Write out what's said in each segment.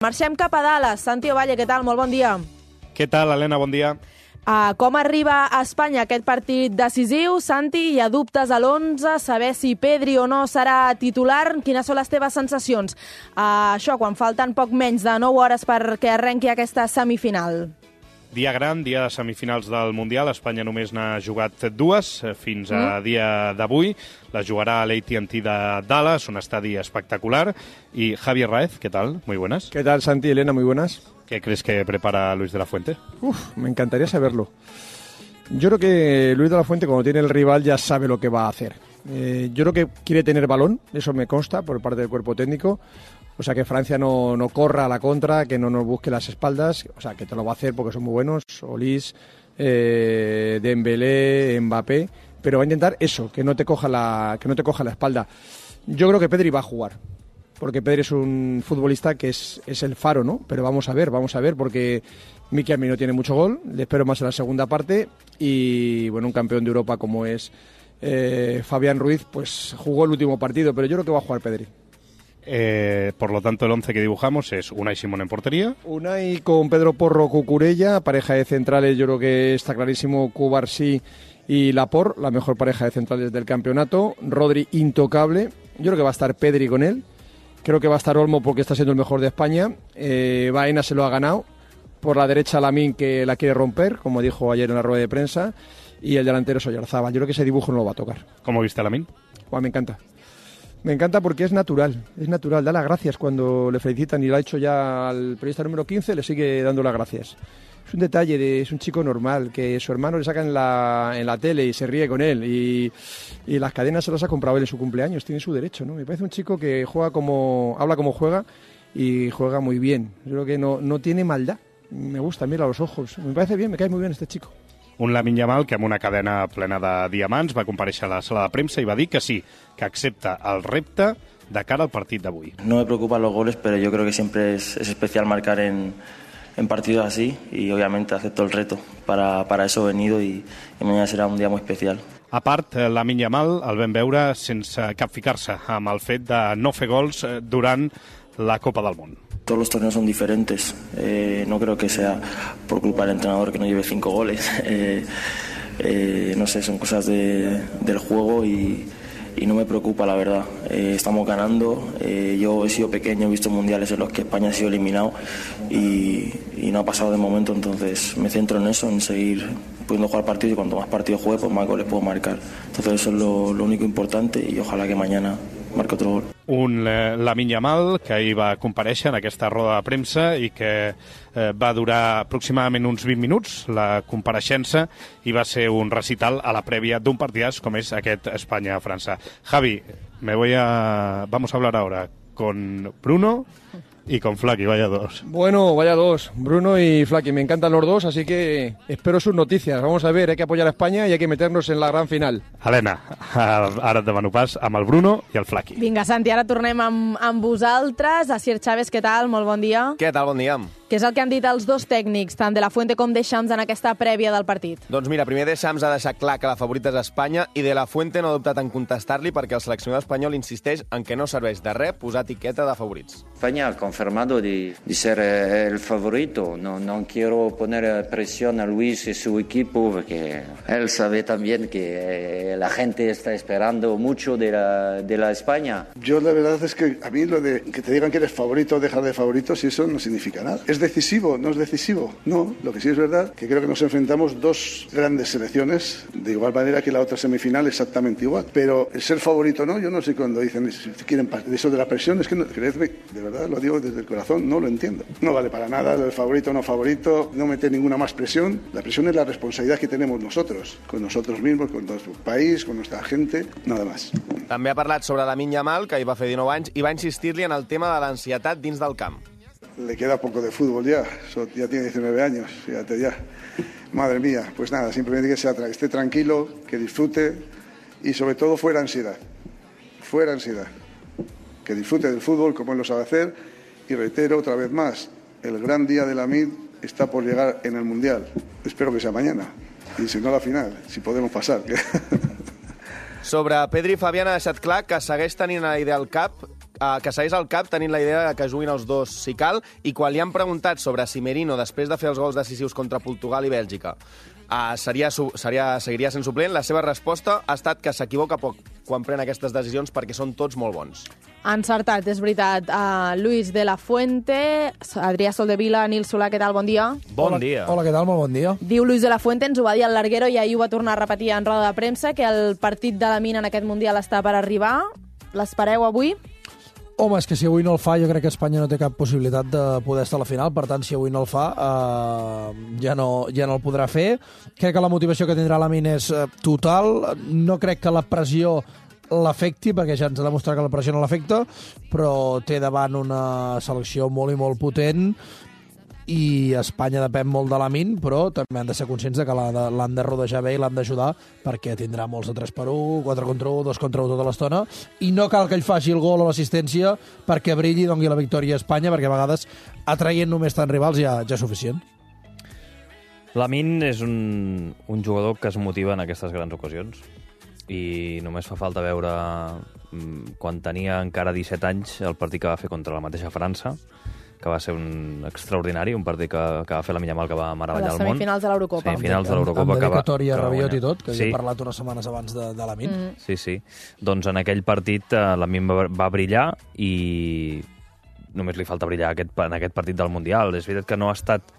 Marxem cap a Dallas. Santi Ovalle, què tal? Molt bon dia. Què tal, Helena? Bon dia. Com arriba a Espanya aquest partit decisiu? Santi, hi ha dubtes a l'11, saber si Pedri o no serà titular. Quines són les teves sensacions? Això, quan falten poc menys de 9 hores perquè arrenqui aquesta semifinal. Dia gran, dia de semifinals del Mundial. Espanya només n'ha jugat 2 fins a dia d'avui. La jugarà a l'AT&T de Dallas, un estadi espectacular. Y Javier Raez, ¿qué tal? Muy buenas. ¿Qué tal, Santi y Elena? Muy buenas. ¿Qué crees que prepara Luis de la Fuente? Me encantaría saberlo. Yo creo que Luis de la Fuente, cuando tiene el rival, ya sabe lo que va a hacer. Yo creo que quiere tener balón, eso me consta por parte del cuerpo técnico. O sea, que Francia no corra a la contra, que no nos busque las espaldas. O sea, que te lo va a hacer porque son muy buenos. Olís, Dembélé, Mbappé. Pero va a intentar eso, que no te coja la espalda. Yo creo que Pedri va a jugar. Porque Pedri es un futbolista que es el faro, ¿no? Pero vamos a ver, porque Miki no tiene mucho gol. Le espero más en la segunda parte. Y, bueno, un campeón de Europa como es Fabián Ruiz, pues jugó el último partido. Pero yo creo que va a jugar Pedri. Por lo tanto, el 11 que dibujamos es Unai Simón en portería. Unai con Pedro Porro, Cucurella, pareja de centrales, yo creo que está clarísimo, Cubarsí y Laporte, la mejor pareja de centrales del campeonato. Rodri intocable, yo creo que va a estar Pedri con él, creo que va a estar Olmo porque está siendo el mejor de España. Baena se lo ha ganado, por la derecha Lamine, que la quiere romper, como dijo ayer en la rueda de prensa, y el delantero es Oyarzábal. Yo creo que ese dibujo no lo va a tocar. ¿Cómo viste a Lamine? Me encanta. Me encanta porque es natural, da las gracias cuando le felicitan y lo ha hecho ya al periodista número 15, le sigue dando las gracias. Es un detalle, es un chico normal, que su hermano le saca en la tele y se ríe con él y las cadenas se las ha comprado él en su cumpleaños, tiene su derecho, ¿no? Me parece un chico que habla como juega y juega muy bien. Yo creo que no tiene maldad, me gusta, mira los ojos, me parece bien, me cae muy bien este chico. Un Lamine Yamal que amb una cadena plena de diamants va comparèixer a la sala de premsa i va dir que sí, que accepta el repte de cara al partit d'avui. No me preocupan los goles, pero yo creo que siempre es especial marcar en partidos así y obviamente acepto el reto. Para eso he venido y mañana será un día muy especial. A part, Lamine Yamal el vam veure sense capficar-se amb el fet de no fer gols durant la Copa del Món. Todos los torneos son diferentes, no creo que sea por culpa del entrenador que no lleve 5 goles, no sé, son cosas del juego y no me preocupa, la verdad. Estamos ganando, yo he sido pequeño, he visto mundiales en los que España ha sido eliminado y no ha pasado de momento, entonces me centro en eso, en seguir pudiendo jugar partidos y cuanto más partidos juegue, pues más goles puedo marcar. Entonces eso es lo único importante y ojalá que mañana marca otro gol. Un Lamine Yamal que ahir va comparèixer en aquesta roda de premsa i que va durar aproximadament uns 20 minuts, la compareixença, i va ser un recital a la prèvia d'un partidàs com és aquest Espanya-França. Javi, vamos a hablar ahora con Bruno y con Flaky, vaya dos. Bueno, vaya dos, Bruno y Flaky, me encantan los dos, así que espero sus noticias. Vamos a ver, hay que apoyar a España y hay que meternos en la gran final. Helena, ara et demano pas amb el Bruno i el Flaky. Vinga, Santi, ara tornem amb vosaltres. Asier Chávez, què tal? Molt bon dia. Què tal? Bon dia. Què és el que han dit els dos tècnics, tant de la Fuente com Deschamps, en aquesta prèvia del partit? Doncs mira, primer Deschamps ha deixat clar que la favorita és Espanya i de la Fuente no ha dubtat en contestar-li perquè el seleccionador espanyol insisteix en que no serveix de res posar etiqueta de favorits. España ha confirmado de ser el favorito. No quiero poner presión a Luis y su equipo porque él sabe también que la gente está esperando mucho de la España. Yo la verdad es que a mí lo de que te digan que eres favorito o dejar de favorito, si eso no significa nada. ¿Es decisivo? ¿No es decisivo? No, lo que sí es verdad que creo que nos enfrentamos dos grandes selecciones de igual manera que la otra semifinal exactamente igual. Pero el ser favorito no, yo no sé cuando dicen si quieren eso de la presión, es que no, creedme, de verdad lo digo desde el corazón, no lo entiendo. No vale para nada el favorito o no favorito, no meter ninguna más presión. La presión es la responsabilidad que tenemos nosotros, con nosotros mismos, con nuestro país, con nuestra gente, nada más. També ha parlat sobre Lamine Yamal, que hi va fer 19 anys, i va insistir-li en el tema de l'ansietat dins del camp. Le queda poco de fútbol ya tiene 19 años, fíjate ya. Madre mía, pues nada, simplemente que esté tranquilo, que disfrute y sobre todo fuera ansiedad. Que disfrute del fútbol como él lo sabe hacer y reitero otra vez más, el gran día de Lamine está por llegar en el Mundial. Espero que sea mañana y si no la final, si podemos pasar. Sobre Pedri, Fabián ha deixat clar que segueix tenint a la idea al cap que segueix al cap tenint la idea que juguin els dos si cal, i quan li han preguntat sobre si Merino, després de fer els gols decisius contra Portugal i Bèlgica, seguiria sent suplent, la seva resposta ha estat que s'equivoca poc quan pren aquestes decisions perquè són tots molt bons. Encertat, és veritat. Luis de la Fuente, Adrià Soldevila, Nil Solà, què tal? Bon dia. Bon dia. Hola, què tal? Molt bon dia. Diu Luis de la Fuente, ens ho va dir al Larguero i ahir ho va tornar a repetir en roda de premsa, que el partit de la Mina en aquest Mundial està per arribar. L'espereu avui? Home, és que si avui no el fa, jo crec que Espanya no té cap possibilitat de poder estar a la final, per tant, si avui no el fa, ja no el podrà fer. Crec que la motivació que tindrà la Mina és total. No crec que la pressió l'afecti, perquè ja ens ha demostrat que la pressió no l'afecta, però té davant una selecció molt i molt potent, i Espanya depèn molt de l'Amin, però també han de ser conscients de que l'han de rodejar bé i l'han d'ajudar, perquè tindrà molts de 3-1, 4-1, 2-1 tota l'estona, i no cal que ell faci el gol o l'assistència perquè brilli i doni la victòria a Espanya, perquè a vegades atraient només tant rivals ja és suficient. L'Amin és un jugador que es motiva en aquestes grans ocasions, i només fa falta veure quan tenia encara 17 anys el partit que va fer contra la mateixa França, que va ser un extraordinari, un partit que va fer la Yamal, que va meravellar el món. Les semifinals de l'Eurocopa. Semifinals de l'Eurocopa. Amb dedicatòria a Rabiot i tot, que havia parlat unes setmanes abans de l'Amin. Sí. Doncs en aquell partit l'Amin va brillar i només li falta brillar en aquest partit del Mundial. És veritat que no ha estat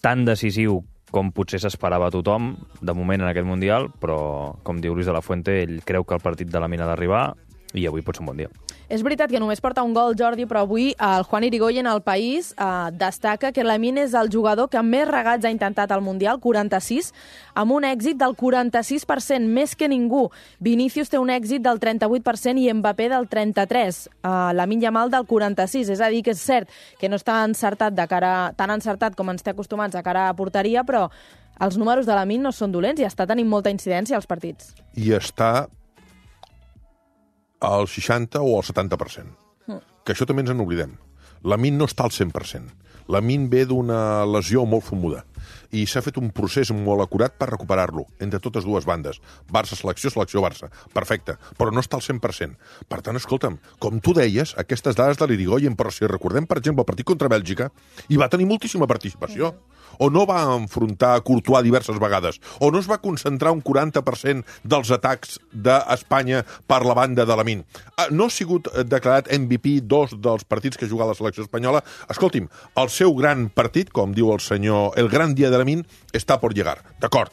tan decisiu com potser s'esperava tothom, de moment en aquest Mundial, però, com diu Luis de la Fuente, ell creu que el partit de l'Amin ha d'arribar i avui pot ser un bon dia. És veritat que només porta un gol, Jordi, però avui el Juan Irigoyen, al País, destaca que l'Amin és el jugador que més regats ha intentat al Mundial, 46, amb un èxit del 46%, més que ningú. Vinícius té un èxit del 38% i Mbappé del 33%. Lamine Yamal del 46%. És a dir, que és cert que no està encertat tan encertat com ens té acostumats de cara a porteria, però els números de l'Amin no són dolents i està tenint molta incidència als partits. I està al 60 o al 70%. Que això també ens en oblidem. L'Amin no està al 100%. L'Amin ve d'una lesió molt fumuda i s'ha fet un procés molt acurat per recuperar-lo entre totes dues bandes. Barça-selecció, selecció-Barça. Perfecte, però no està al 100%. Per tant, escolta'm, com tu deies, aquestes dades de l'Irigoyen, però si recordem, per exemple, el partit contra Bèlgica, hi va tenir moltíssima participació. O no va enfrontar a Courtois diverses vegades, o no es va concentrar un 40% dels atacs d'Espanya per la banda de l'Amin. No ha sigut declarat MVP 2 dels partits que ha jugat la selecció espanyola. Escolti'm, el seu gran partit, com diu el senyor, el gran dia de l'Amin, està por llegar. D'acord.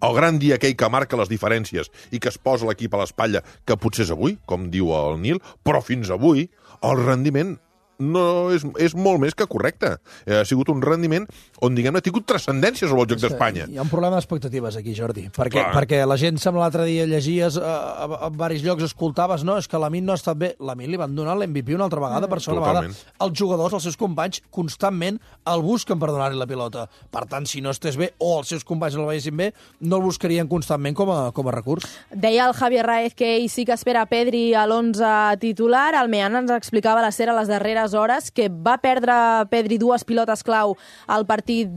El gran dia aquell que marca les diferències i que es posa l'equip a l'espatlla, que potser és avui, com diu el Nil, però fins avui el rendiment no és molt més que correcte. Ha sigut un rendiment on, diguem-ne, ha tingut transcendència sobre el joc d'Espanya. Hi ha un problema d'expectatives aquí, Jordi, perquè la gent sembla l'altre dia llegies a diversos llocs, escoltaves, no, és que l'Amin no ha estat bé. L'Amin li van donar l'MVP una altra vegada, per segona vegada. Els jugadors, els seus companys, constantment el busquen per donar-li la pilota. Per tant, si no estés bé o els seus companys no el veiessin bé, no el buscarien constantment com a recurs. Deia el Javier Raez que ell sí que espera Pedri a l'11 titular. El Mean ens explicava a la SER a les darreres hores que va perdre Pedri 2 pilotes clau al partit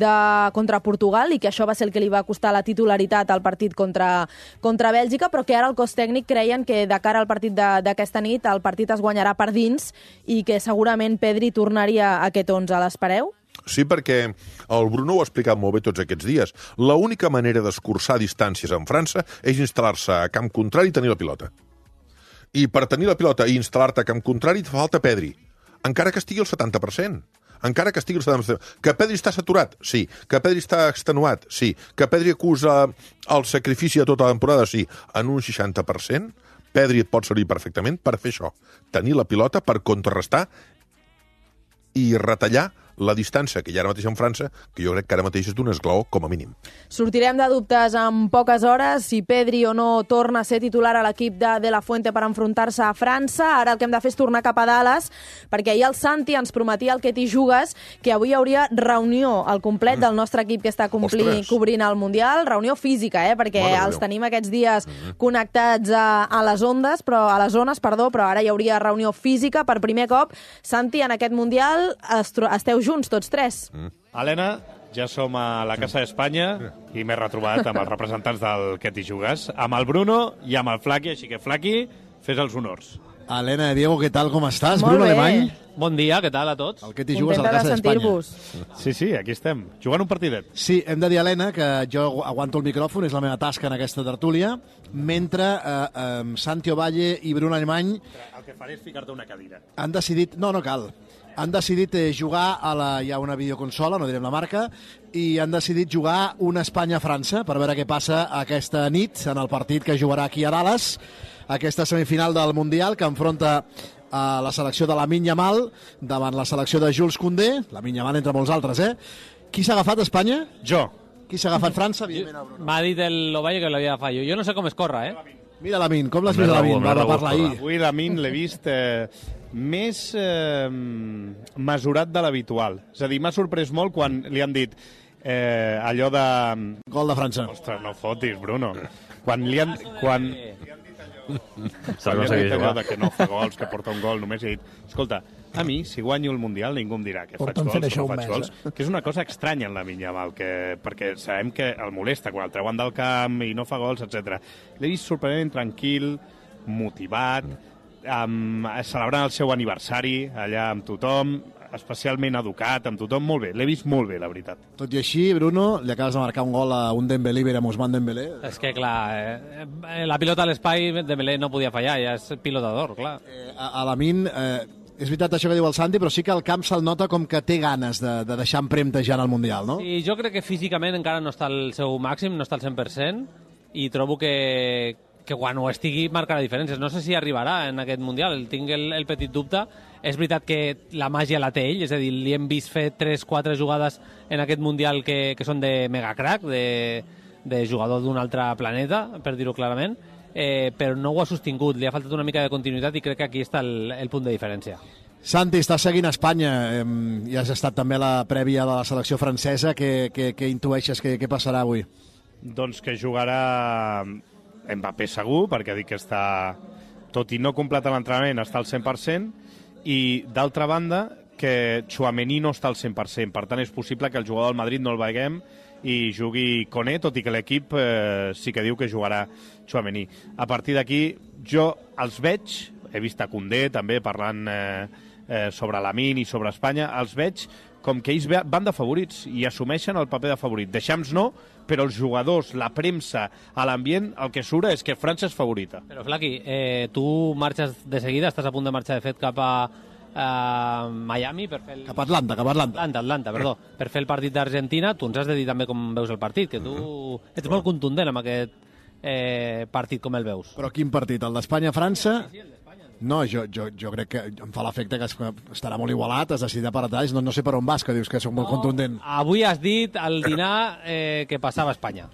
contra Portugal i que això va ser el que li va costar la titularitat al partit contra Bèlgica, però que ara el cos tècnic creien que de cara al partit d'aquesta nit el partit es guanyarà per dins i que segurament Pedri tornaria a aquest 11. L'espereu? Sí, perquè el Bruno ho ha explicat molt bé tots aquests dies. L'única manera d'escurçar distàncies en França és instal·lar-se a camp contrari i tenir la pilota. I per tenir la pilota i instal·lar-te a camp contrari et fa falta Pedri. Encara que estigui al 70%. Encara que estigui al 70%. Que Pedri està saturat? Sí. Que Pedri està extenuat? Sí. Que Pedri acusa el sacrifici de tota la temporada? Sí. En un 60%, Pedri et pot servir perfectament per fer això. Tenir la pilota per contrarrestar i retallar la distància que hi ha ara mateix en França, que jo crec que ara mateix és d'un esglaó, com a mínim. Sortirem de dubtes en poques hores si Pedri o no torna a ser titular a l'equip de la Fuente per enfrontar-se a França. Ara el que hem de fer és tornar cap a Dallas, perquè ahir el Santi ens prometia el que t'hi jugues, que avui hi hauria reunió al complet del nostre equip que està cobrint el Mundial, reunió física, perquè els tenim aquests dies connectats a les zones, però ara hi hauria reunió física per primer cop. Santi, en aquest Mundial esteu junts, tots tres. Helena, ja som a la Casa d'Espanya i m'he retrobat amb els representants del Que t'hi jugues, amb el Bruno i amb el Flaqui, així que Flaqui, fes els honors. Helena, Diego, què tal, com estàs? Molt Bruno bé. Alemany? Bon dia, què tal a tots? El que t'hi jugues a la Contenta casa de d'Espanya. sentir-vos. Sí, aquí estem, jugant un partidet. Sí, hem de dir, Helena, que jo aguanto el micròfon, és la meva tasca en aquesta tertúlia, mentre Santi Ovalle i Bruno Alemany El que faré és ficar-te una cadira. han decidit... No cal. Han decidit jugar hi ha una videoconsola, no direm la marca, i han decidit jugar una Espanya-França per veure què passa aquesta nit en el partit que jugarà aquí a Dallas, aquesta semifinal del Mundial que enfronta a la selecció de Lamine Yamal davant la selecció de Jules Koundé, Lamine Yamal entre molts altres, Qui s'ha agafat Espanya? Jo. Qui s'ha agafat França? M'ha dit l'Ovalle que l'havia agafat jo. Jo no sé com es corre, Mira Lamine, com l'has vist Lamine? Va parlar ahir. Avui Lamine l'he vist més mesurat de l'habitual. És a dir, m'ha sorprès molt quan li han dit allò de... Gol de França. Ostres, no fotis, Bruno. Quan li han... Quan aconseguit allò jugar. de que no fa gols, que porta un gol, només he dit, escolta, a mi, si guanyo el Mundial, ningú em dirà que faig Porten fent gols, això que no un faig mes, gols, que és una cosa estranya en la Yamal, perquè sabem que el molesta quan el treuen del camp i no fa gols, etc. L'he vist sorprenent, tranquil, motivat, celebrant el seu aniversari allà amb tothom, especialment educat, amb tothom, molt bé. L'he vist molt bé, la veritat. Tot i així, Bruno, li acabes de marcar un gol a un Dembélé, Verem Ousmane Dembélé. És que, clar, la pilota a l'espai, Dembélé no podia fallar, ja és pilotador, clar. A Lamine, és veritat això que diu el Santi, però sí que el camp se'l nota com que té ganes de deixar empremta ja en el Mundial, no? I jo crec que físicament encara no està al seu màxim, no està al 100%, i trobo que quan ho estigui marcarà diferències. No sé si arribarà en aquest Mundial, tinc el petit dubte. És veritat que la màgia la té ell, és a dir, li hem vist fer 3-4 jugades en aquest Mundial que són de megacrack, de jugador d'un altre planeta, per dir-ho clarament, però no ho ha sostingut, li ha faltat una mica de continuïtat i crec que aquí està el punt de diferència. Santi, estàs seguint Espanya i has estat també a la prèvia de la selecció francesa. Què intueixes que passarà avui? Doncs que jugarà Mbappé segur, perquè ha dit que està, tot i no completar l'entrenament, està al 100%, i d'altra banda que Tchouaméni no està al 100%, per tant és possible que el jugador del Madrid no el veiem i jugui Koné, tot i que l'equip sí que diu que jugarà Tchouaméni. A partir d'aquí jo els veig, he vist a Koundé també parlant sobre Lamine i sobre Espanya, els veig com que ells van de favorits i assumeixen el paper de favorit. Deixams no, però els jugadors, la premsa, a l'ambient, el que surt és que França és favorita. Però, Flaqui, tu marxes de seguida, estàs a punt de marxar, de fet, cap a Miami per fer Cap a Atlanta. Atlanta, perdó. Per fer el partit d'Argentina. Tu ens has de dir també com veus el partit, que tu ets molt contundent amb aquest partit, com el veus. Però quin partit? El d'Espanya-França? No, jo crec que em fa l'efecte que estarà molt igualat, has decidit per detalls, no sé per on vas, que dius que soc molt contundent. Avui has dit al dinar que passava a Espanya.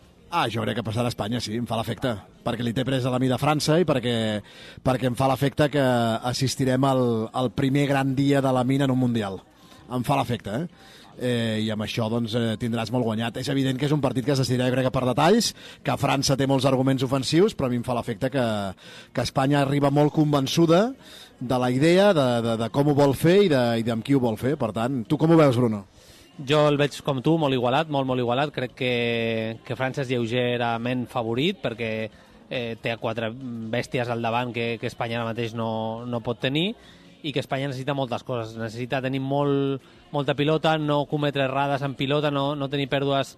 Jo crec que passarà a Espanya, sí, em fa l'efecte, perquè li té pres a la mida França i perquè em fa l'efecte que assistirem al primer gran dia de la mina en un Mundial. Em fa l'efecte, i amb això doncs, tindràs molt guanyat. És evident que és un partit que es decidirà, jo crec que per detalls, que França té molts arguments ofensius, però a mi em fa l'efecte que Espanya arriba molt convençuda de la idea, de com ho vol fer i amb qui ho vol fer. Per tant, tu com ho veus, Bruno? Jo el veig com tu, molt igualat, molt igualat. Crec que França és lleugerament favorit perquè té 4 bèsties al davant que Espanya ara mateix no pot tenir, i que Espanya necessita moltes coses. Necessita tenir molta pilota, no cometre errades en pilota, no tenir pèrdues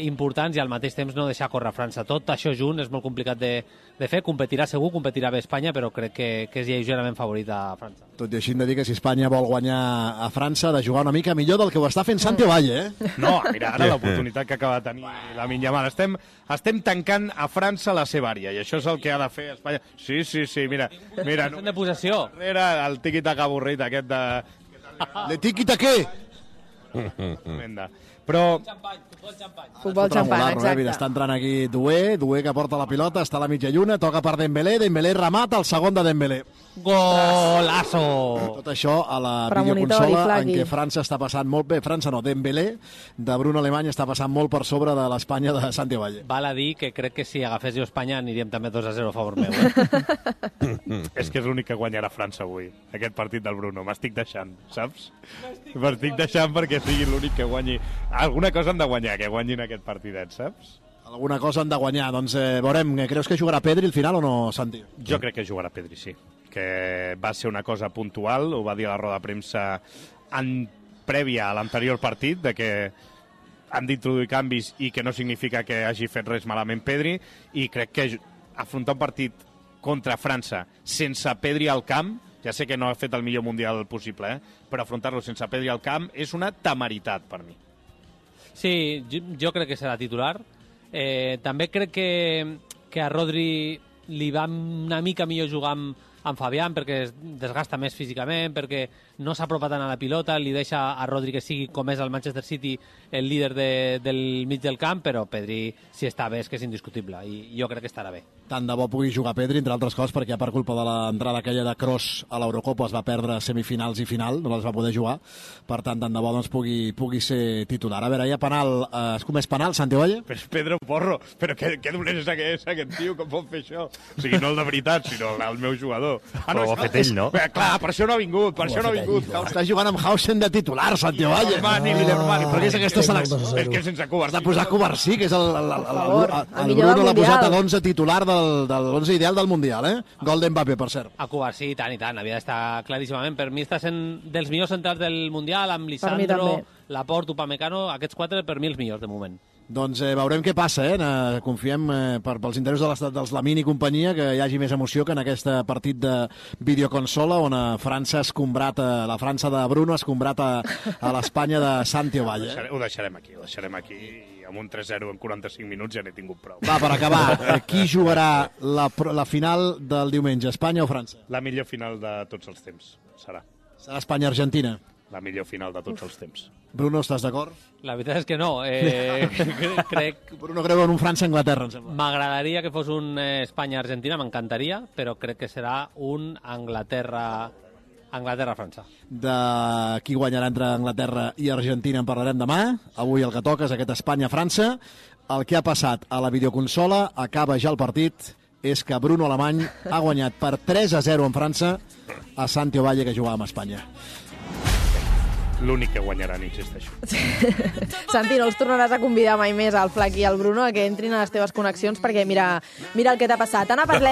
importants i al mateix temps no deixar córrer França. Tot això junt és molt complicat de fer. Competirà segur, competirà bé Espanya, però crec que és lleugerament favorit a França. Tot i així hem de dir que si Espanya vol guanyar a França, ha de jugar una mica millor del que ho està fent Santi Ovalle, No, mira, ara l'oportunitat que acaba de tenir Lamine Yamal. Estem tancant a França la seva àrea, i això és el que ha de fer Espanya. Sí, mira. De possessió. Darrere el tiqui-taca avorrit aquest de... Le tiqui-taqué! Però... Futbol xampany, exacte. Mira, està entrant aquí Doué que porta la pilota, està a la mitja lluna, toca per Dembélé remata, el segon de Dembélé. Golazo! Tot això a la Premonitori, videoconsola en Flaqui. què França està passant molt bé. França no, Dembélé de Bruno Alemany està passant molt per sobre de l'Espanya de Santi Ovalle. Val a dir que crec que si agafés jo Espanya aniríem també 2-0 a favor meu. És que és l'únic que guanyarà França avui, aquest partit del Bruno. M'estic deixant, saps? M'estic deixant perquè sigui l'únic que guanyi. Alguna cosa han de guanyar, que guanyin aquest partidet, saps? Alguna cosa han de guanyar. Doncs veurem, creus que jugarà Pedri al final o no, Santi? Jo crec que jugarà Pedri, sí. que va ser una cosa puntual, ho va dir a la roda de premsa prèvia a l'anterior partit, de que han d'introduir canvis i que no significa que hagi fet res malament Pedri, i crec que afrontar un partit contra França sense Pedri al camp, ja sé que no ha fet el millor mundial possible, però afrontar-lo sense Pedri al camp és una temeritat per mi. Sí, jo crec que serà titular. També crec que a Rodri li va una mica millor jugar amb Fabián, perquè es desgasta més físicament, perquè no s'apropa tant a la pilota, li deixa a Rodri que sigui, com és el Manchester City, el líder del mig del camp, però Pedri, si està bé, és que és indiscutible, i jo crec que estarà bé. Tant de bo pugui jugar Pedri, entre altres coses, perquè per culpa de l'entrada aquella de Kroos a l'Eurocopa es va perdre semifinals i final, no les va poder jugar, per tant, tant de bo doncs, pugui ser titular. A veure, hi ha penal, es comès penal, Santi Ovalle? Però és Pedro Porro, però què dolent és aquest tio, com pot fer això? O sigui, no el de veritat, sinó el meu jugador. Però ho ha fet ell, no? Clar, per això no ha vingut, Està jugant amb Hausen de titular, Santi Ovalle. Però què és aquesta selecció? És que sense Covarsí. Has de posar Covarsí, que és el Bruno l'ha posat a l'11 titular de l'11 ideal del Mundial, Gol d'Mbappé, per cert. A Covarsí, i tant, havia d'estar claríssimament. Per mi està sent dels millors centrals del Mundial, amb Lisandro, Laporte, Upamecano, aquests 4 per mi els millors de moment. Doncs veurem què passa, confiem pels interessos dels Lamine i companyia que hi hagi més emoció que en aquest partit de videoconsola on França ha escombrat, la França de Bruno ha escombrat a l'Espanya de Santi Ovalle. Ho deixarem aquí i amb un 3-0 en 45 minuts ja n'he tingut prou. Va, per acabar, qui jugarà la final del diumenge, Espanya o França? La millor final de tots els temps serà. Serà Espanya-Argentina? La millor final de tots els temps. Bruno, estàs d'acord? La veritat és que no. Bruno creu en un França-Anglaterra, em sembla. M'agradaria que fos un Espanya-Argentina, m'encantaria, però crec que serà un Anglaterra-França. De qui guanyarà entre Anglaterra i Argentina en parlarem demà. Avui el que toca és aquest Espanya-França. El que ha passat a la videoconsola, acaba ja el partit, és que Bruno Alemany ha guanyat per 3-0 en França a Santi Ovalle, que jugava amb Espanya. L'únic que guanyaran, insisteixo. Santi, no els tornaràs a convidar mai més al Flac i al Bruno a que entrin a les teves connexions perquè mira el que t'ha passat. Anna Parlet,